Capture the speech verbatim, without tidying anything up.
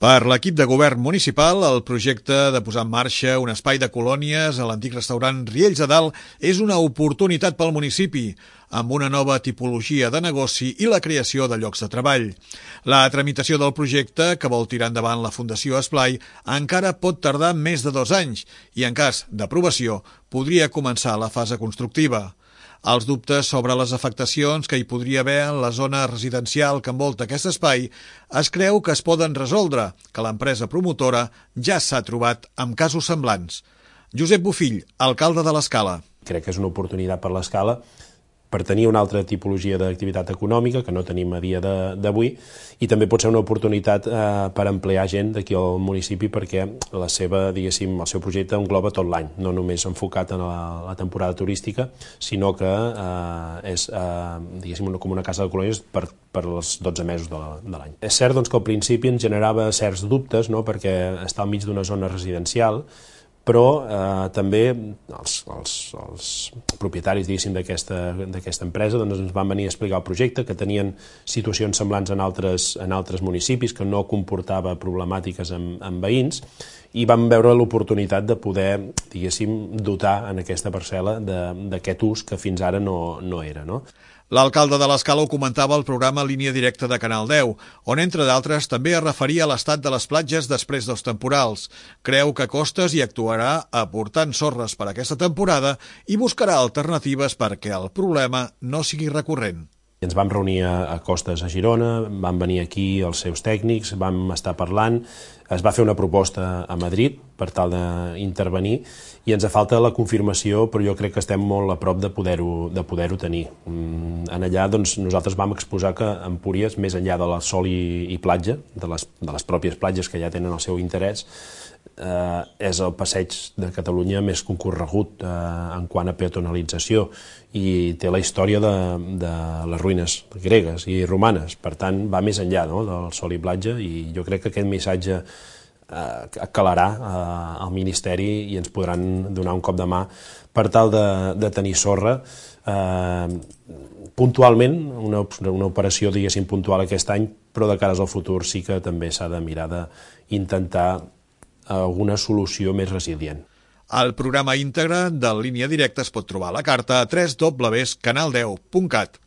Per l'equip de govern municipal, el projecte de posar en marxa un espai de colònies a l'antic restaurant Riells de Dalt és una oportunitat pel municipi, amb una nova tipologia de negoci i la creació de llocs de treball. La tramitació del projecte, que vol tirar endavant la Fundació Esplai, encara pot tardar més de dos anys i, en cas d'aprovació, podria començar la fase constructiva. Els dubtes sobre les afectacions que hi podria haver en la zona residencial que envolta aquest espai es creu que es poden resoldre, que l'empresa promotora ja s'ha trobat amb casos semblants. Josep Bofill, alcalde de l'Escala. Crec que és una oportunitat per l'Escala per tenir una altra tipologia d'activitat econòmica que no tenim a dia d'avui i també pot ser una oportunitat eh, per emplear gent d'aquí al municipi perquè la seva, diguéssim, el seu projecte engloba tot l'any, no només enfocat en la, la temporada turística, sinó que eh, és eh, diguéssim, una, com una casa de colònies per, per els dotze mesos de l'any. És cert doncs, que al principi ens generava certs dubtes, no?, perquè està al mig d'una zona residencial, però eh, també els, els, els propietaris d'aquesta empresa doncs, ens van venir a explicar el projecte, que tenien situacions semblants en altres, en altres municipis, que no comportava problemàtiques amb, amb veïns, i vam veure l'oportunitat de poder, diguéssim, dotar en aquesta parcel·la d'aquest ús que fins ara no, no era, no? L'alcalde de l'Escala ho comentava al programa Línia Directa de Canal deu, on, entre d'altres, també es referia a l'estat de les platges després dels temporals. Creu que Costes hi actuarà aportant sorres per aquesta temporada i buscarà alternatives perquè el problema no sigui recurrent. Ens vam reunir a Costes a Girona, van venir aquí els seus tècnics, vam estar parlant, es va fer una proposta a Madrid per tal d'intervenir i ens falta la confirmació, però jo crec que estem molt a prop de poder-ho de poder-ho tenir. En allà doncs, nosaltres vam exposar que Empúries, més enllà de la sol i, i platja, de les, de les pròpies platges que ja tenen el seu interès, eh, és el passeig de Catalunya més concorregut eh, en quant a peatonalització i té la història de, de les ruïnes gregues i romanes, per tant va més enllà, no?, del sol i platja, i jo crec que aquest missatge eh, calarà eh, al Ministeri i ens podran donar un cop de mà per tal de, de tenir sorra eh, puntualment, una, una operació diguéssim puntual aquest any, però de cares al futur sí que també s'ha de mirar d'intentar alguna solució més resilient. El programa íntegre de Línia Directa es pot trobar a la carta a w w w punt canal deu punt cat.